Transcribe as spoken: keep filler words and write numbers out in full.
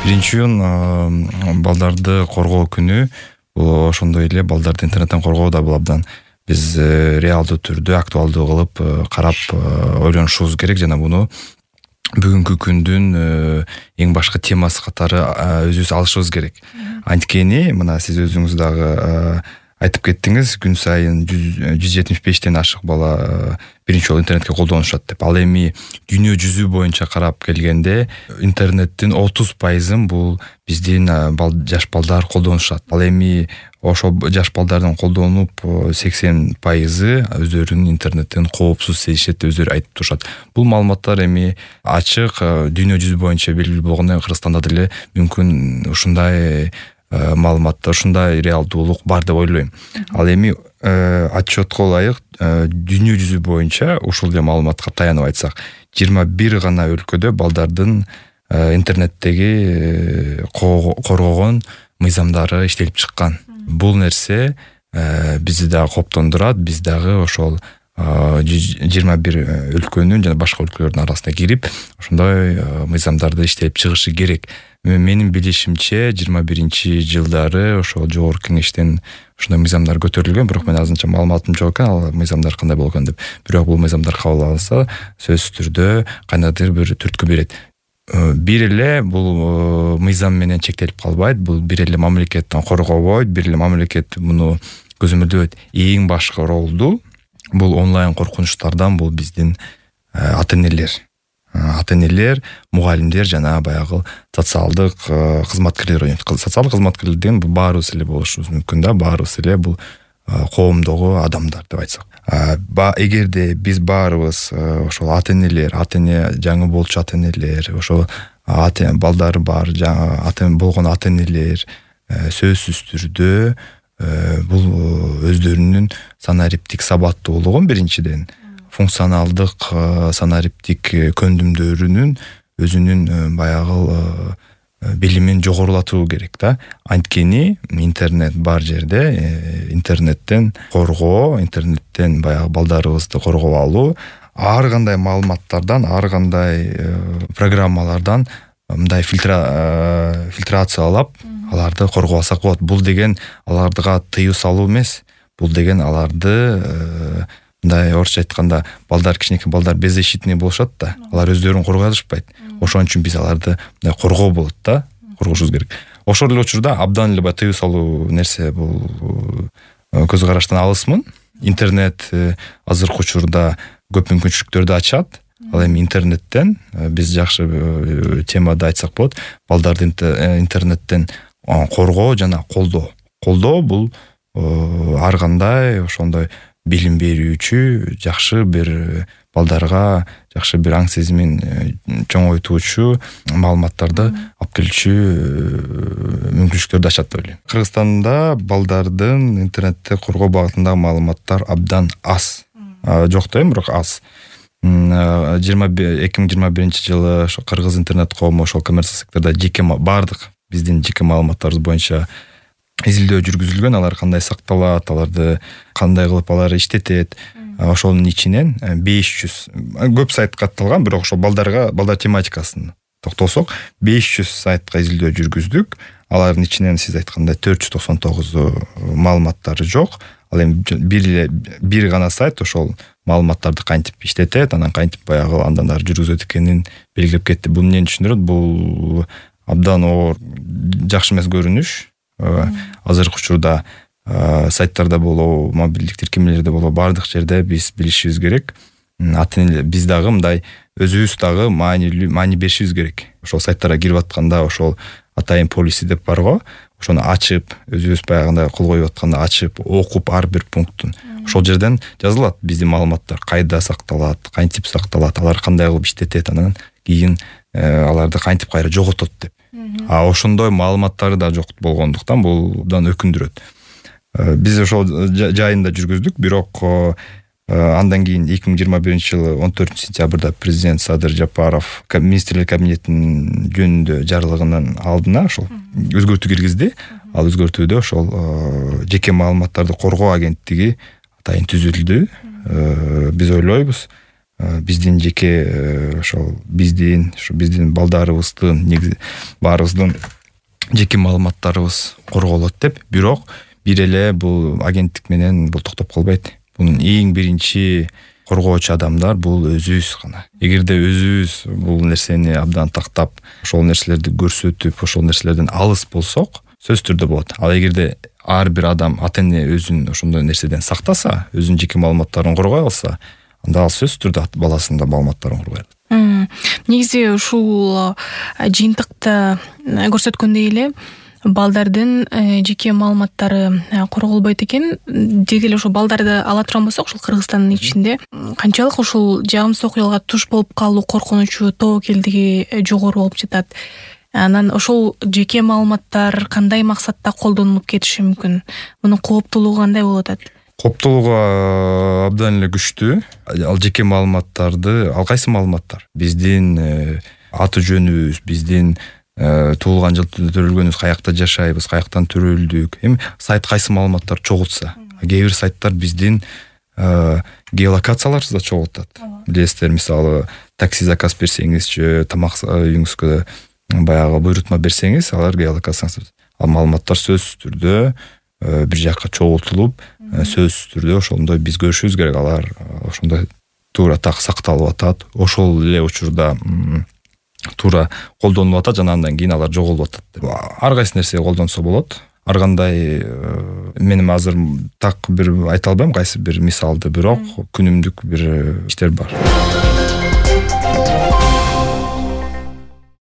Биринчиден балдарды коргоо күнү бул ошондой эле балдарды интернеттен коргоо да бул абдан биз реалдуу түрдө актуалдуу кылып карап ойлонушубуз керек жана буну бүгүнкү күндүн эң башкы темасы катары өзүбүз алышыбыз керек. Анткени мына сиз өзүңүз дагы айтып кеттиңиз, күн сайын жүз жетимиш бештен ашык бала биринчи жолу интернетке колдонушат деп. Ал эми дүйнө жүзү боюнча карап келгенде интернеттин отуз пайызын бул биздин жаш балдар колдонушат. Ал эми ошол жаш балдардын колдонуп сексен пайызы өздөрүнүн интернеттен коопсуз сезишет деп өздөрү айтып турушат. Бул маалыматтар эми ачык дүйнө жүзү боюнча белгилүү болгондо Кыргызстанда деле мүмкүн ушундай маалыматтар, ушундай реалдуулук бар деп ойлойм. Ал эми отчетко ылайык дүйнө жүзү боюнча ушул эле маалыматка таянып айтсак, жыйырма бир гана өлкөдө балдардын интернеттеги коргогон мыйзамдары иштелип чыккан. Бул нерсе бизди дагы коптондурат, биз дагы ошол жыйырма бир өлкөнүн жана башка өлкөлөрдүн арасына кирип, ошондой мыйзамдарды иштелип чыгышы керек. Менин билишимче жыйырма биринчи жылдары ошол жогорку кеңештен ушундай мыйзамдар көтөрүлгөн, бирок мен азырынча маалыматым жок экен, ал мыйзамдар кандай болгон деп. Бирок бул мыйзамдар кабыл алынса, сөзсүз түрдө кандайдыр бир түрткү берет. Бир эле бул мыйзам менен чектелип калбайт, бул бир эле мамлекеттен коргобойт, бир эле мамлекет муну көзөмөлдөбөйт. Эң башкы ролду бул онлайн коркунучтардан бул биздин ата-энелер. Ата-энелер, мугалимдер жана баягы социалдык кызматкерлер ойнойт. Социалдык кызматкерлерден баарыбыз эле болушубуз мүмкүн да, баарыбыз эле бул коомдогу адамдар деп айтсак. Эгерде биз баарыбыз ошол ата-энелер, ата-эне жаңы болчу ата-энелер, ошол балдары бар, жаңы ата-эне болгон ата-энелер сөзсүз түрдө бул өздөрүнүн санариптик сабаттуулугун биринчиден, функционалдык санариптик көндүмдөрүнүн өзүнүн баягы билимин жогорулатуу керек да. Анткени интернет бар жерде интернеттен коргоо, интернеттен баягы балдарыбызды коргоп алуу, ар кандай маалыматтардан, ар кандай программалардан мындай фильтрациялап аларды коргоп алсак болот. Бул деген аларга тыюу салуу эмес. Бул деген аларды мындай орусча айтканда балдар, кичинекей балдар беззащитный болушат да. Алар өздөрүн коргой алышпайт. Ошон үчүн биз аларды мындай коргоо болот да, коргошубуз керек. Ошол эле учурда абдан эле тыюу салуу нерсе бул көз караштан алысмын. Интернет азыркы учурда көп мүмкүнчүлүктөрдү ачат. Ал эми интернеттен биз жакшы темада айтсак болот, балдарды интернеттен коргоо жана колдоо. Колдоо бул ар кандай ошондой билим берүүчү, жакшы бир балдарга жакшы бир аң сезимин чоңойтуучу маалыматтарды алып келүүчү мүмкүнчүлүктөрдү ачат деп ойлойм. Кыргызстанда балдардын интернетте коргоо багытындагы маалыматтар абдан аз. Жок да эми, бирок аз. эки миң жыйырма биринчи жылы ошо кыргыз интернет коому ошол коммерциялык сектордо жеке бардык биздин жеке маалыматтарыбыз боюнча изилдөө жүргүзүлгөн, алар кандай сакталат, аларды кандай кылып алар иштетет. Ошонун ичинен беш жүз көп сайт катталган, бирок ошол балдарга, балдар тематикасын токтолсок, беш жүз сайтка изилдөө жүргүздүк. Алардын ичинен сиз айткандай төрт жүз токсон тогузу маалыматтары жок. Ал эми бир эле бир гана сайт ошол маалыматтарды кантип иштетет, анан кантип баягы андан ары жүргүзөт экенин белгилеп кетти. Бул эмнени түшүндүрөт? Бул абдан оор жакшы эмес көрүнүш. Азыркы учурда сайттарда болобу, мобилдик тиркемелерде болобу, бардык жерде биз билишибиз керек. Ата-энелер биз дагы мындай өзүбүз дагы маани маани беришибиз керек. Ошол сайттарга кирип атканда ошол атайын полиси деп бар го, ошону ачып, өзүбүз баягындай кол коюп атканда ачып, окуп ар бир пунктун. Ошол жерден жазылат биздин маалыматтар, кайда сакталат, кантип сакталат, алар кандай кылып иштетет, анан кийин аларды кантип кайра жоготот деп. А ошондой маалыматтары да жок болгондуктан бул абдан өкүндүрөт. Биз ошол жайында жүргүздүк, бирок андан кийин эки миң жыйырма биринчи жылы он төртүнчү сентябрда президент Садыр Жапаров министрлер кабинетинин жөнүндө жарлыгынын алдына ошол өзгөртүү киргизди. Ал өзгөртүүдө ошол жеке маалыматтарды коргоо агенттиги атайын түзүлдү. Биз ойлойбуз биздин жеке ошол биздин ушу биздин балдарыбыздын негизи баарыбыздын жеке маалыматтарыбыз корголот деп. Бирок бир эле бул агенттик менен бул токтоп калбайт. Бунун эң биринчи коргоочу адамдар бул өзүбүз гана. Эгерде өзүбүз бул нерсени абдан тактап, ошол нерселерди көрсөтүп, ошол нерселерден алыс болсок, сөзсүз түрдө болот. Ал эгерде ар бир адам ата эне өзүн ошондой нерседен сактаса, өзүнүн жеке маалыматтарын коргой алса, анда ал сөзсүз түрдө баласынын да маалыматтарын коргой алат. Негизи ушул жыйынтыкта көрсөткөндөй эле балдардын жеке маалыматтары корголбойт экен. Деги эле ошо балдарды ала турган болсок, ушул Кыргызстандын ичинде канчалык ушул жагымсыз окуяларга туш болуп калуу коркунучу, тобокелдиги жогору болуп жатат. Анан ошол жеке маалыматтар кандай максатта колдонулуп кетиши мүмкүн? Мунун кооптуулугу кандай болуп атат? Кооптуулугу абдан эле күчтүү. Ал жеке маалыматтарды, ал кайсы маалыматтар? Биздин аты жөнүбүз, биздин туулган жыл төрөлгөнүбүз, каякта жашайбыз, каяктан төрөлдүк. Эми сайт кайсы маалыматтар чогултса, кээ бир сайттар биздин геолокацияларыбызды чогултат. Билесиздер, мисалы, такси заказ берсеңизчи, тамак үйүңүзгө баягы буйрутма берсеңиз, алар геолокацияңыз. Ал маалыматтар сөзсүз түрдө бир жакка чогултулуп, сөзсүз түрдө ошондой биз көрүшүбүз керек. Алар ошондой туура так сакталып атат. Ошол эле учурда туура колдонулуп атат, жана андан кийин алар жоголуп атат. Ар кайсы нерсе колдонсо болот. Ар кандай мен азыр так бир айта албайм кайсы бир мисалды, бирок күнүмдүк бир иштер бар.